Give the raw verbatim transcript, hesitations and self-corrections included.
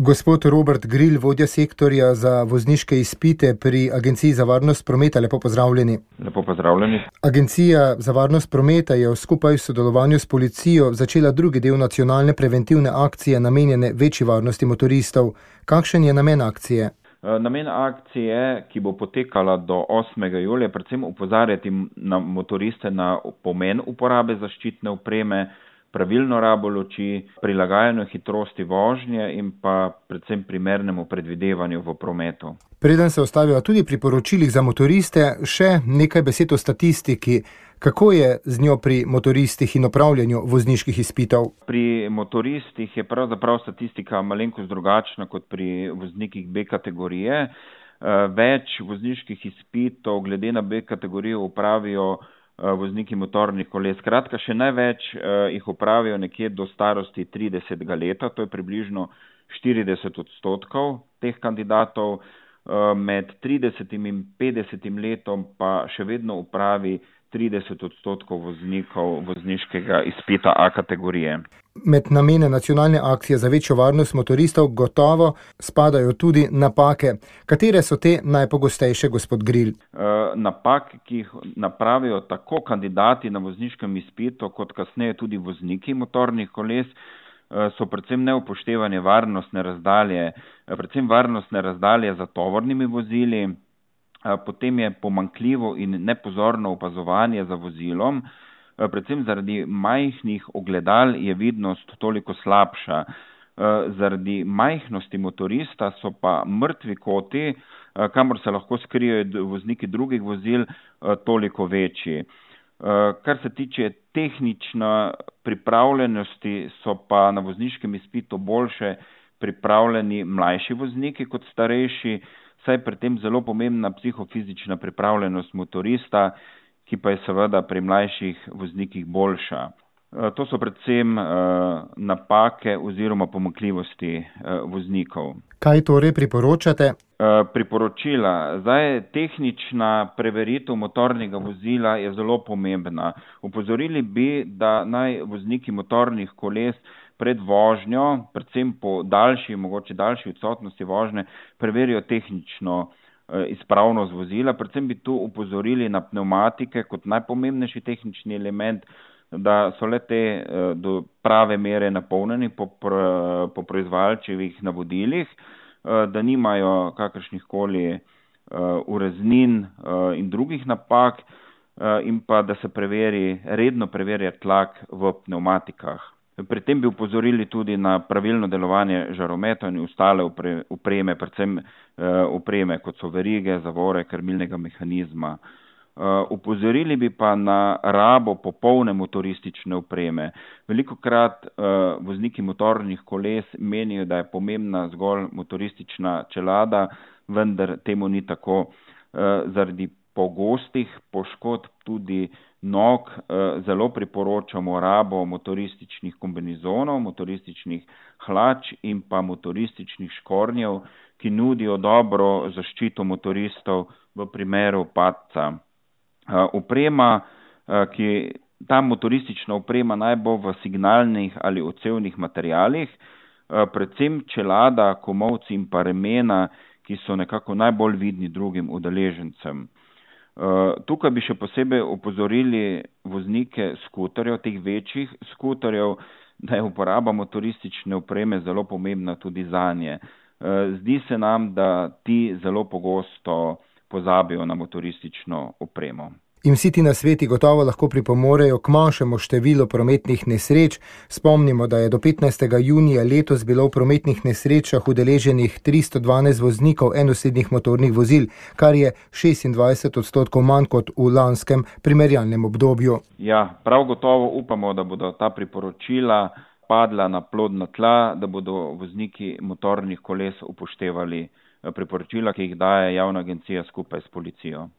Gospod Robert Gril, vodja sektorja za vozniške izpite pri Agenciji za varnost prometa, lepo pozdravljeni. Lepo pozdravljeni. Agencija za varnost prometa je skupaj v sodelovanju s policijo začela drugi del nacionalne preventivne akcije namenjene večji varnosti motoristov. Kakšen je namen akcije? Namen akcije, ki bo potekala do osmega julija, predvsem opozarjati na motoriste na pomen uporabe zaščitne opreme, pravilno rabo luči, prilagajanju hitrosti vožnje in pa predvsem primernemu predvidevanju v prometu. Preden se ostavijo tudi pri poročilih za motoriste, še nekaj besed o statistiki. Kako je z njo pri motoristih in opravljanju vozniških izpitov? Pri motoristih je pravzaprav statistika malenkost drugačna kot pri voznikih B kategorije. Več vozniških izpitov glede na B kategorijo upravijo vozniki motornih koles. Skratka, še največ jih upravijo nekje do starosti tridesetega leta, to je približno štirideset odstotkov teh kandidatov. Med tridesetim in petdesetim letom pa še vedno upravi trideset odstotkov voznikov vozniškega izpita A kategorije. Med namene nacionalne akcije za večjo varnost motoristov gotovo spadajo tudi napake. Katere so te najpogostejše, gospod Gril? Napake, ki jih napravijo tako kandidati na vozniškem izpitu, kot kasneje tudi vozniki motornih koles, so predvsem neupoštevanje varnostne razdalje, predvsem varnostne razdalje za tovornimi vozili, potem je pomanjkljivo in nepozorno opazovanje za vozilom, predvsem zaradi majhnih ogledal je vidnost toliko slabša. Zaradi majhnosti motorista so pa mrtvi koti, kamor se lahko skrijejo vozniki drugih vozil, toliko večji. Kar se tiče tehnične pripravljenosti, so pa na vozniškem izpitu boljše pripravljeni mlajši vozniki kot starejši, saj je pri tem zelo pomembna psihofizična pripravljenost motorista, ki pa je seveda pri mlajših voznikih boljša. To so predvsem napake oziroma pomanjkljivosti voznikov. Kaj torej priporočate? Priporočila. Zdaj, tehnična preveritev motornega vozila je zelo pomembna. Opozorili bi, da naj vozniki motornih koles pred vožnjo, predvsem po daljši, mogoče daljši odsotnosti vožnje, preverijo tehnično izpravnost vozila. Predvsem bi tu opozorili na pnevmatike kot najpomembnejši tehnični element, da so le te do prave mere napolnjeni po, po proizvajalčevih navodilih, da nimajo kakršnih koli ureznin in drugih napak in pa da se preveri, redno preverja tlak v pnevmatikah. Pri tem bi upozorili tudi na pravilno delovanje žarometov in ostale opreme, predvsem opreme, kot so verige, zavore, krmilnega mehanizma. Upozorili bi pa na rabo popolne motoristične opreme. Velikokrat vozniki motornih koles menijo, da je pomembna zgolj motoristična čelada, vendar temu ni tako. Zaradi pogostih poškodb tudi nog zelo priporočamo rabo motorističnih kombinezonov, motorističnih hlač in pa motorističnih škornjev, ki nudijo dobro zaščito motoristov v primeru padca. Oprema, ki ta motoristična oprema naj bo v signalnih ali odsevnih materialih, predvsem čelada, komolci in pa remena, ki so nekako najbolj vidni drugim udeležencem. Tukaj bi še posebej opozorili voznike skuterjev, teh večjih skuterjev, da je uporaba motoristične opreme zelo pomembna tudi zanje. Zdi se nam, da ti zelo pogosto pozabijo na motoristično opremo. In vsi ti nasveti gotovo lahko pripomorejo k manjšemu številu prometnih nesreč. Spomnimo, da je do petnajstega junija letos bilo v prometnih nesrečah udeleženih tristo dvanajst voznikov enosednih motornih vozil, kar je šestindvajset odstotkov manj kot v lanskem primerjalnem obdobju. Ja, prav gotovo upamo, da bodo ta priporočila padla na plodna tla, da bodo vozniki motornih koles upoštevali priporočila, ki jih daje javna agencija skupaj s policijo.